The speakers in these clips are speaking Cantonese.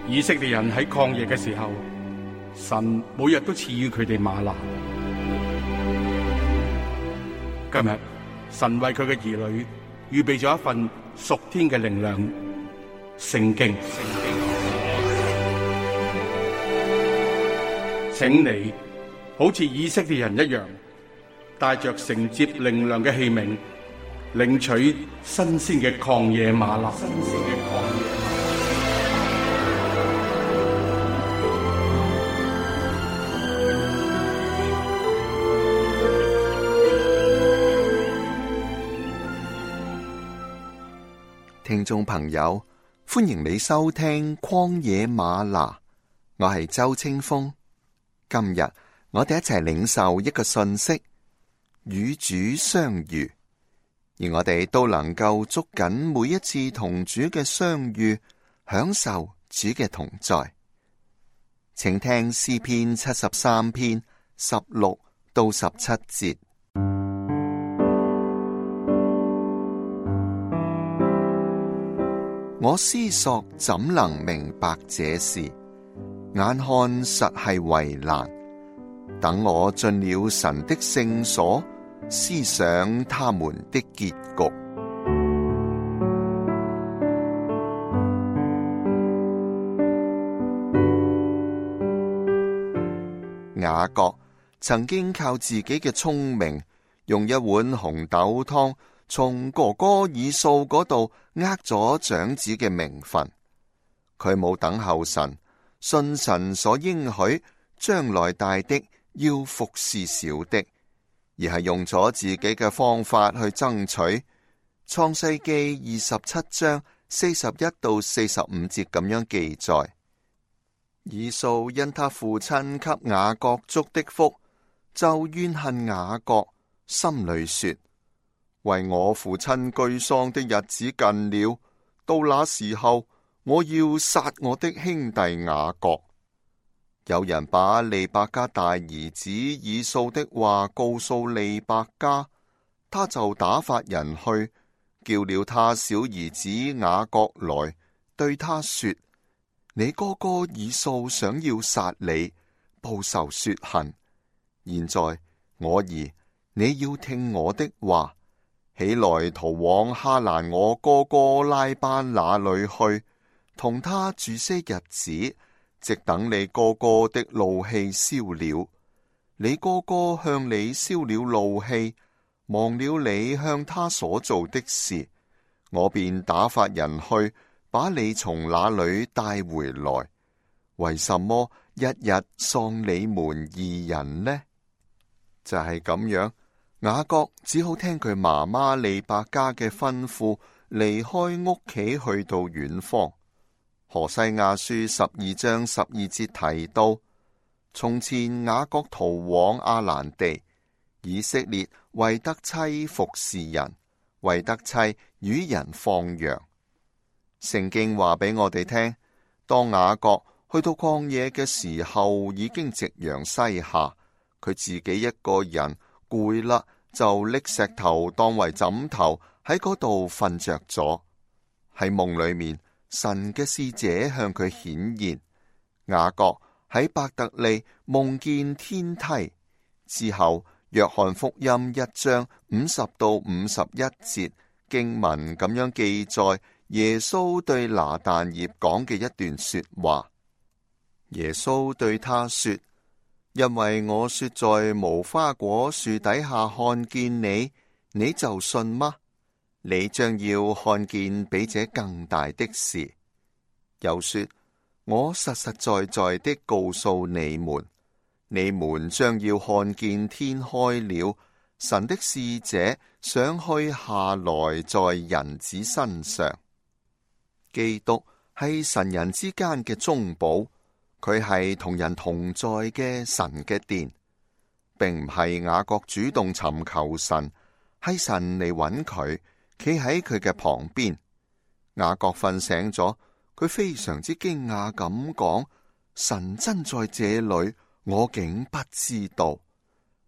以色列人喺曠野嘅時候，神每日都賜予佢哋嗎哪。今日神為佢嘅兒女預備咗一份屬天嘅靈糧——聖經。請你好似以色列人一樣，帶着承接靈糧嘅器皿，領取新鮮嘅曠野嗎哪。聽眾朋友，歡迎你收聽曠野嗎哪，我係周清風。今日我哋一齊領受一個訊息，與主相遇，而我哋都能夠捉緊每一次同主嘅相遇，享受主嘅同在。請聽詩篇73篇16到17節。我思索怎能明白這事，眼看實係為難。等我進了神的聖所，思想他們的結局。雅各曾經靠自己嘅聰明，用一碗紅豆湯從哥哥以掃嗰度咗長子嘅名分。佢冇等候神，信神所應許將來大的要服侍小的，而係用咗自己嘅方法去爭取。創世記27章41到45節咁樣記載：以掃因他父親給雅各祝的福，就怨恨雅各，心裏說：為我父親居喪的日子近了，到那時候我要殺我的兄弟雅各。有人把利百加大兒子以掃的話告訴利百加，他就打發人去，叫了他小兒子雅各來，對他說：你哥哥以掃想要殺你，報仇雪恨。現在我兒，你要聽我的話，起來逃往哈蘭我哥哥拉班那裏去，同他住些日子，直等你哥哥的怒氣消了。你哥哥向你消了怒氣，忘了你向他所做的事，我便打發人去，把你從那裏帶回來。為什麼日日喪你們二人呢？就係咁樣，雅各只好聽佢媽媽利百加嘅吩咐，離開屋企去到遠方。何西阿書12章12節提到，從前雅各逃往亞蘭地，以色列為得妻服侍人，為得妻與人放羊。聖經話俾我哋聽，當雅各去到曠野嘅時候，已經夕陽西下，佢自己一個人攰啦，就拎石頭當為枕頭喺嗰度瞓着咗。喺夢裏面，神嘅使者向佢顯現，雅各喺伯特利夢見天梯。之後約翰福音1章50到51節經文咁樣記載耶穌對拿但業講嘅一段說話。耶穌對他說：因為我說在無花果樹底下看見你，你就信嗎？你將要看見比這更大的事。又說：我實實在在的告訴你們，你們將要看見天開了，神的使者上去下來在人子身上。基督係神人之間嘅中保，佢係同人同在嘅神嘅殿，並唔係雅各主動尋求神，係神嚟揾佢，企喺佢嘅旁邊。雅各瞓醒咗，佢非常之驚訝咁講：神真在這裏，我竟不知道。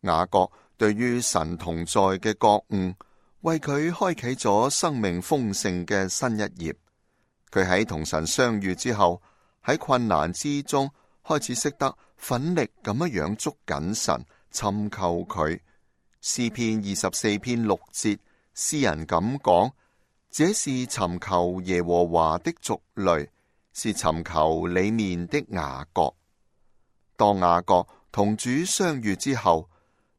雅各對於神同在嘅覺悟，為佢開啟咗生命豐盛嘅新一頁。佢喺同神相遇之後，喺困難之中開始識得奮力咁樣捉緊神，尋求佢。詩篇24篇6節，詩人咁講：這是尋求耶和華的族類，是尋求你面的雅各。當雅各同主相遇之後，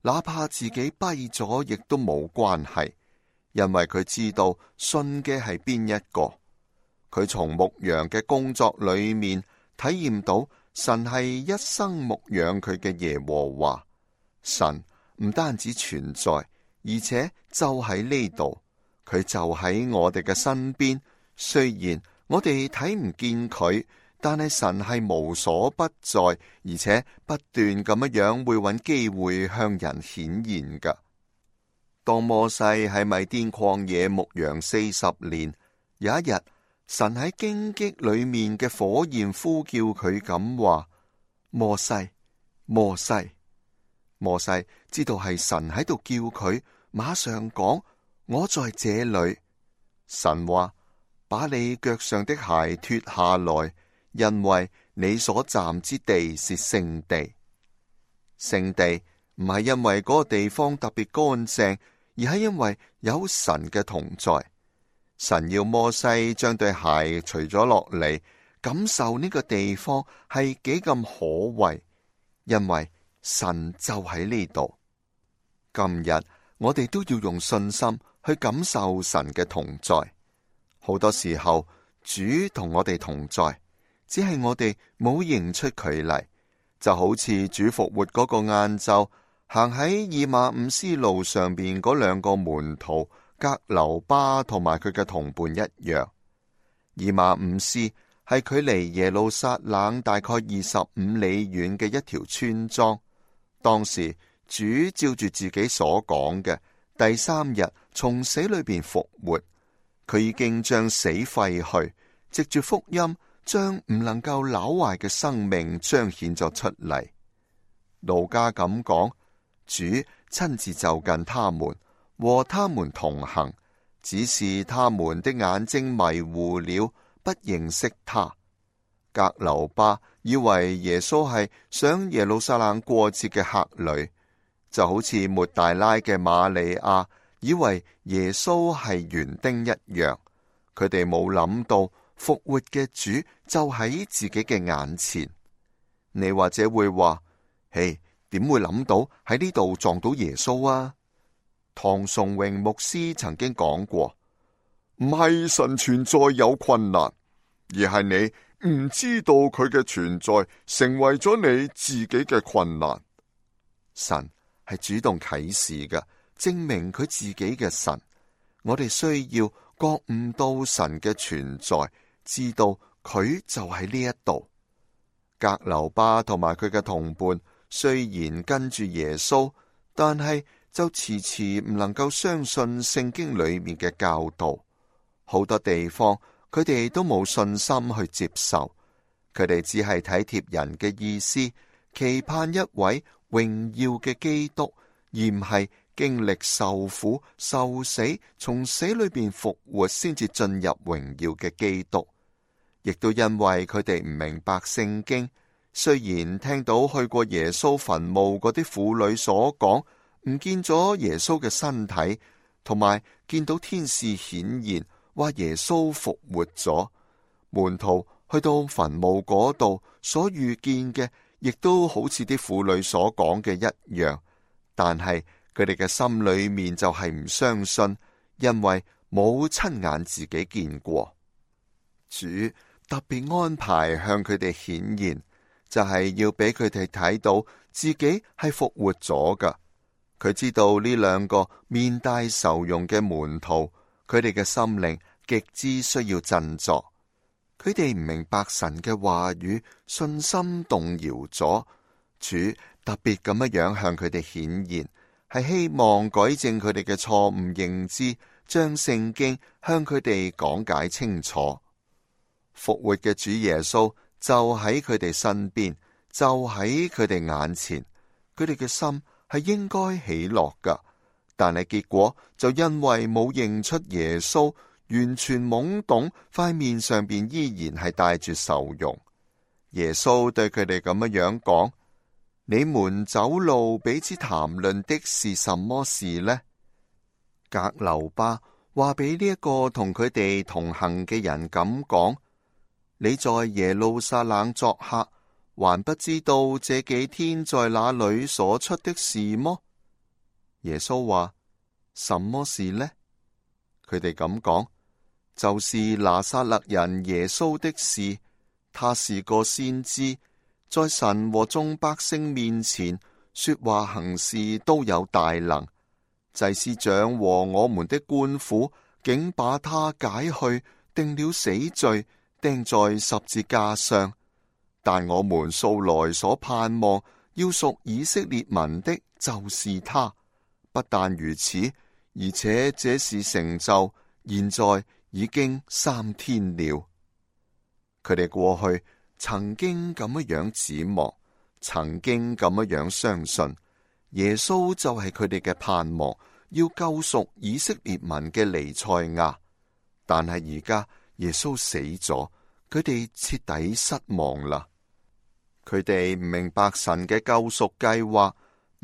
哪怕自己跛咗，亦都冇關係，因為佢知道信嘅係邊一個。佢從牧羊嘅工作裏面體驗到神係一生牧養佢嘅耶和華。神唔單止存在，而且就喺呢度，佢就喺我哋嘅身邊。雖然我哋睇唔見佢，但係神係無所不在，而且不斷咁樣會揾機會向人顯現噶。當摩西喺米甸曠野牧羊40年，有一日，神喺荊棘裏面嘅火焰呼叫佢咁話：摩西，摩西。摩西知道係神喺度叫佢，馬上講：我在這裏。神話：把你腳上的鞋脱下來，因為你所站之地是聖地。聖地唔係因為嗰個地方特別乾淨，而係因為有神嘅同在。神要摩西將對鞋除咗落嚟，感受呢個地方係幾咁可畏，因為神就喺呢度。今日我哋都要用信心去感受神嘅同在。好多時候主同我哋同在，只係我哋冇認出佢嚟。就好似主復活嗰個晏晝，行喺以馬忤斯路上邊嗰兩個門徒革流巴同埋佢嘅同伴一樣。以馬忤斯係距離耶路撒冷大概25里遠嘅一條村莊。當時主照住自己所講嘅，第3日從死裏邊復活。佢已經將死廢去，藉住福音將唔能夠朽壞嘅生命彰顯咗出嚟。路加咁講：主親自就近他們，和他們同行，只是他們的眼睛迷糊了，不認識他。革流巴以為耶穌係上耶路撒冷過節嘅客旅，就好似抹大拉嘅瑪利亞以為耶穌係園丁一樣。佢哋冇諗到復活嘅主就喺自己嘅眼前。你或者會話：嘿，點會諗到喺呢度撞到耶穌啊？唐崇榮牧師曾經講過，唔係神存在有困難，而係你唔知道佢嘅存在成為咗你自己嘅困難。神係主動啟示嘅，證明佢自己嘅神。我哋需要覺悟到神嘅存在，知道佢就喺呢一度。革流巴同埋佢嘅同伴雖然跟住耶穌，但係就遲遲唔能夠相信聖經裏面嘅教導。好多地方佢哋都冇信心去接受，佢哋只係體貼人嘅意思，期盼一位榮耀嘅基督，而唔係經歷受苦、受死，從死裏邊復活，先至進入榮耀嘅基督。亦都因為佢哋唔明白聖經，雖然聽到去過耶穌墳墓嗰啲婦女所講，唔見咗耶穌嘅身體，同埋見到天使顯現，話耶穌復活咗。門徒去到墳墓嗰度所遇見嘅，亦都好似啲婦女所講嘅一樣，但係佢哋嘅心裏面就係唔相信，因為冇親眼自己見過。主特別安排向佢哋顯現，就係要俾佢哋睇到自己係復活咗噶。佢知道呢兩個面帶愁容嘅門徒，佢哋嘅心靈極之需要振作。佢哋唔明白神嘅話語，信心動搖咗。主特別咁樣向佢哋顯現，係希望改正佢哋嘅錯誤認知，將聖經向佢哋講解清楚。復活嘅主耶穌就喺佢哋身邊，就喺佢哋眼前，佢哋嘅心係應該喜樂噶，但係結果就因為冇認出耶穌，完全懵懂，塊面上邊依然係帶住愁容。耶穌對佢哋咁樣講：你們走路彼此談論的是什麼事呢？革流巴話俾呢一個同佢哋同行嘅人咁講：你在耶路撒冷作客，還不知道這幾天在那裏所出的事麼？耶穌話：什麼事呢？佢哋咁講，就是拿撒勒人耶穌的事。他是個先知，在神和眾百姓面前說話行事都有大能。祭司長和我們的官府竟把他解去，定了死罪，釘在十字架上。但我們素來所盼望要屬以色列民的，就是他。不但如此，而且這事成就，現在已經3天了。佢哋過去曾經咁樣指望，曾經咁樣相信耶穌就係佢哋嘅盼望，要救贖以色列民嘅彌賽亞。但係而家耶穌死咗，佢哋徹底失望啦。佢哋唔明白神嘅救贖計劃，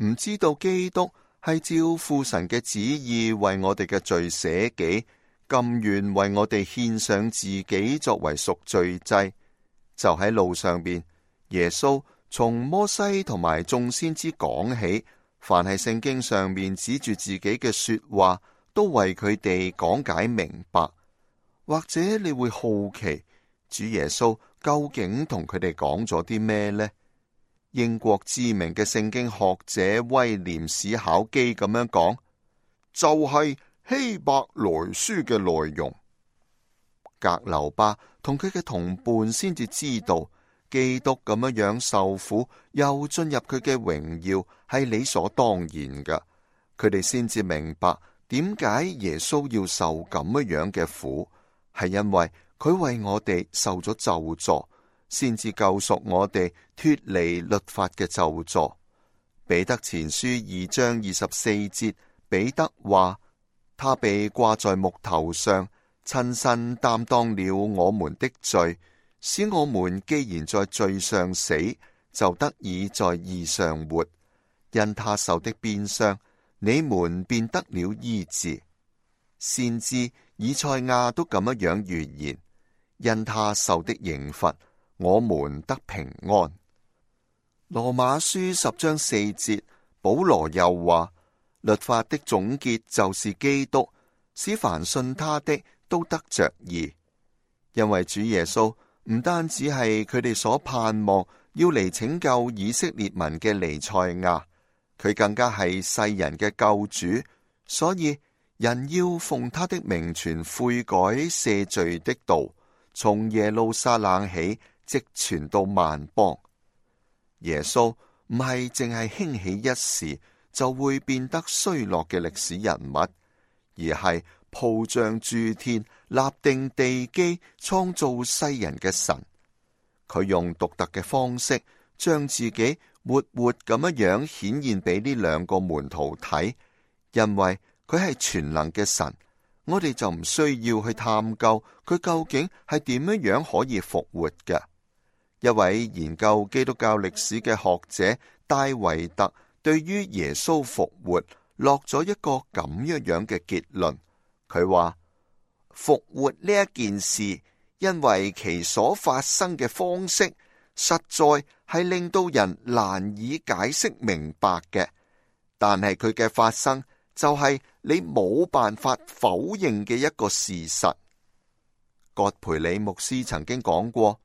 唔知道基督係照父神嘅旨意為我哋嘅罪捨己，甘願為我哋獻上自己作為贖罪祭。就喺路上邊，耶穌從摩西同埋眾先知講起，凡係聖經上面指住自己嘅說話，都為佢哋講解明白。或者你會好奇，主耶穌究竟同佢哋講咗啲咩呢？英國知名嘅聖經學者威廉史考基咁樣講，就係希伯來書嘅內容。革流巴同佢嘅同伴先至知道，基督咁樣受苦，又進入佢嘅榮耀，係理所當然嘅。佢哋先至明白點解耶穌要受咁樣嘅苦，係因為佢為我哋受咗咒詛，先至救贖我哋脫離律法嘅咒詛。彼得前書2章24節，彼得話：他被掛在木頭上，親身擔當了我們的罪，使我們既然在罪上死，就得以在義上活。因他受的鞭傷，你們便得了醫治。先知以賽亞都咁樣預言：因他受的刑罰，我們得平安。羅馬書10章4節，保羅又話：律法的總結就是基督，使凡信他的都得着義。因為主耶穌唔單止係佢哋所盼望要嚟拯救以色列民嘅彌賽亞，佢更加係世人嘅救主，所以人要奉他的名傳悔改赦罪的道，從耶路撒冷起，直傳到萬邦。耶穌唔係淨係興起一時就會變得衰落嘅歷史人物，而係鋪張諸天、立定地基、創造世人嘅神。佢用獨特嘅方式將自己活活咁樣顯現俾呢兩個門徒睇，因為佢係全能嘅神，我哋就唔需要去探究佢究竟係點樣可以復活嘅。一位研究基督教歷史嘅學者戴維特對於耶穌復活落咗一個咁樣嘅結論。佢話復活呢一件事，因為其所發生嘅方式實在係令到人難以解釋明白嘅，但係佢嘅發生就係你冇辦法否認嘅一個事實。葛培理牧師曾經講過，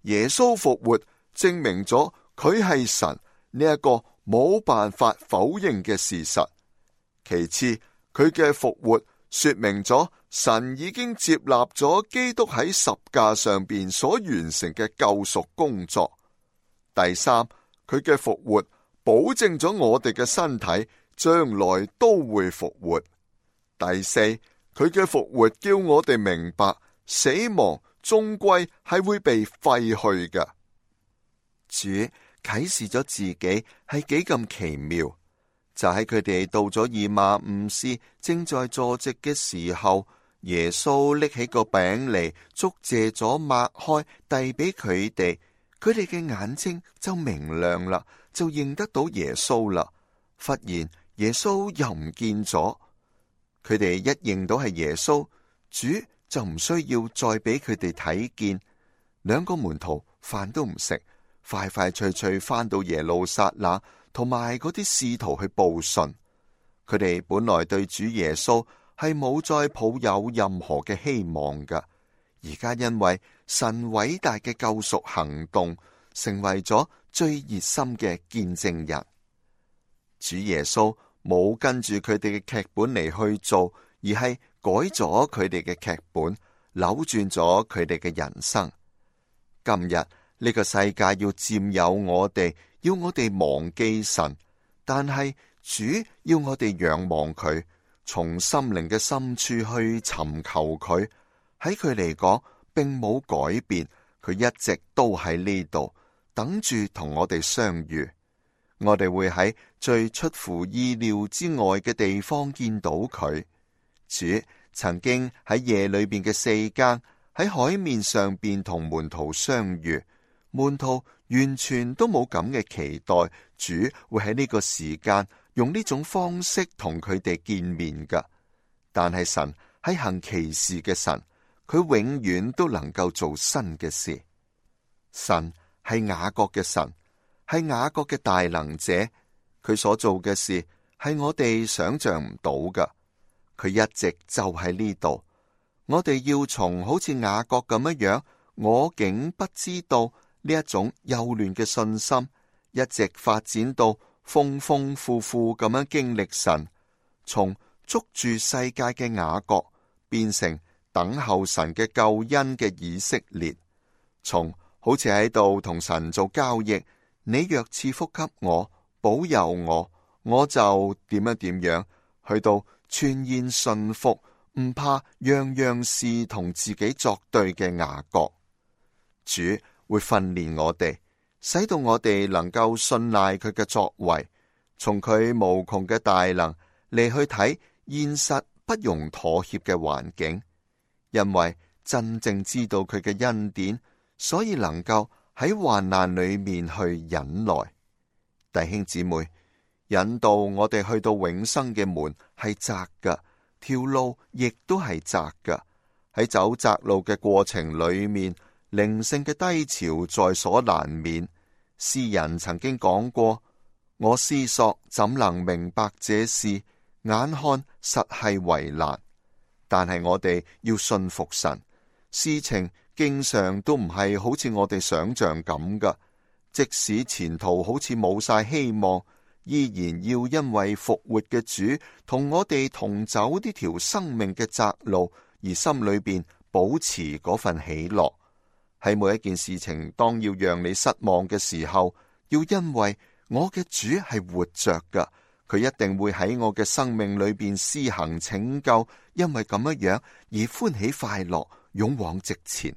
耶穌復活證明咗佢係神呢一個冇辦法否認嘅事實。其次，佢嘅復活說明咗神已經接納咗基督喺十架上邊所完成嘅救贖工作。第三，佢嘅復活保證咗我哋嘅身體將來都會復活。第四，佢嘅復活叫我哋明白死亡終歸係會被廢去嘅。主啟示咗自己係幾咁奇妙。就喺佢哋到咗以馬忤斯正在坐席嘅時候，耶穌拎起個餅嚟，祝謝咗擘開，遞俾佢哋。佢哋嘅眼睛就明亮啦，就認得到耶穌啦。忽然耶穌又唔見咗，佢哋一認到係耶穌，主就唔需要再俾佢哋睇見。兩個門徒飯都唔食，快快脆脆返到耶路撒冷，同埋嗰啲使徒去報信。佢哋本來對主耶穌係冇再抱有任何嘅希望噶，而家因為神偉大嘅救贖行動，成為咗最熱心嘅見證人。主耶穌冇跟住佢哋嘅劇本嚟去做，而係改咗佢哋嘅劇本，扭轉咗佢哋嘅人生。今日呢個世界要佔有我哋，要我哋忘記神，但係主要我哋仰望佢，從心靈嘅深處去尋求佢。喺佢嚟講，並冇改變，佢一直都喺呢度，等住同我哋相遇。我哋會喺最出乎意料之外嘅地方見到佢。主曾經喺夜裏邊嘅四更，喺海面上邊同門徒相遇，門徒完全都冇咁嘅期待，主會喺呢個時間用呢種方式同佢哋見面噶。但係神係行奇事嘅神，佢永遠都能夠做新嘅事。神係雅各嘅神，係雅各嘅大能者，佢所做嘅事係我哋想象唔到噶。佢一直就喺呢度，我哋要從好似雅各咁樣，我竟不知道呢一種幼嫩嘅信心，一直發展到豐豐富富咁樣經歷神，從捉住世界嘅雅各變成等候神嘅救恩嘅以色列，從好似喺度同神做交易，你若賜福給我，保佑我，我就點樣點樣，去到全然順服，唔怕樣樣事同自己作對嘅雅各。主會訓練我哋，使到我哋能夠信賴佢嘅作為，從佢無窮嘅大能嚟去睇現實不容妥協嘅環境，因為真正知道佢嘅恩典，所以能夠喺患難裏面去忍耐。弟兄姊妹，引導我哋去到永生嘅門係窄噶，條路亦都係窄噶。喺走窄路嘅過程裏面，靈性嘅低潮在所難免。詩人曾經講過：我思索怎能明白這事，眼看實係為難。但係我哋要信服神，事情經常都唔係好似我哋想象咁噶。即使前途好似冇晒希望，依然要因為復活嘅主同我哋同走呢條生命嘅窄路，而心裏邊保持嗰份喜樂。喺每一件事情當要讓你失望嘅時候，要因為我嘅主係活着噶，佢一定會喺我嘅生命裏邊施行拯救，因為咁樣而歡喜快樂，勇往直前。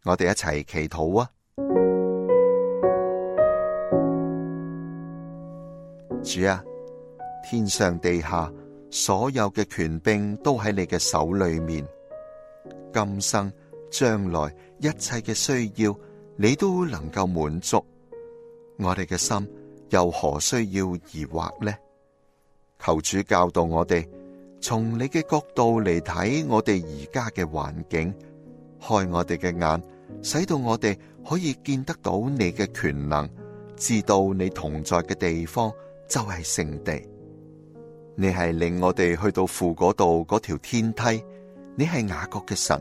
我哋一齊祈禱啊！主啊，天上地下所有嘅權柄都喺你嘅手裏面，今生將來一切嘅需要你都能夠滿足，我哋嘅心又何需要疑惑呢？求主教導我哋，從你嘅角度嚟睇我哋而家嘅環境，開我哋嘅眼，使到我哋可以見得到你嘅權能，知道你同在嘅地方就係聖地。你係令我哋去到父嗰度嗰條天梯，你係雅各嘅神，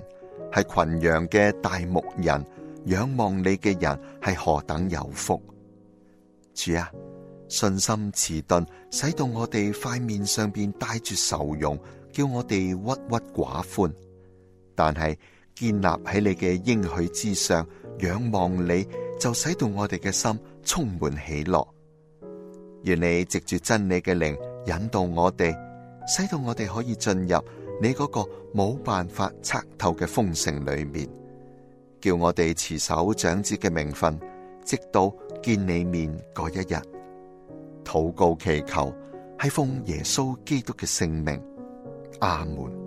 係群羊嘅大牧人，仰望你嘅人係何等有福。主啊，信心遲鈍，使到我哋塊面上邊帶住愁容，叫我哋鬱鬱寡歡。但係建立喺你嘅應許之上，仰望你，就使到我哋嘅心充滿喜樂。願你藉住真理嘅靈引導我哋，使到我哋可以進入你嗰個冇辦法測透嘅豐盛裏面，叫我哋持守長子嘅名分，直到見你面嗰一日。禱告祈求係奉耶穌基督嘅聖名，阿門。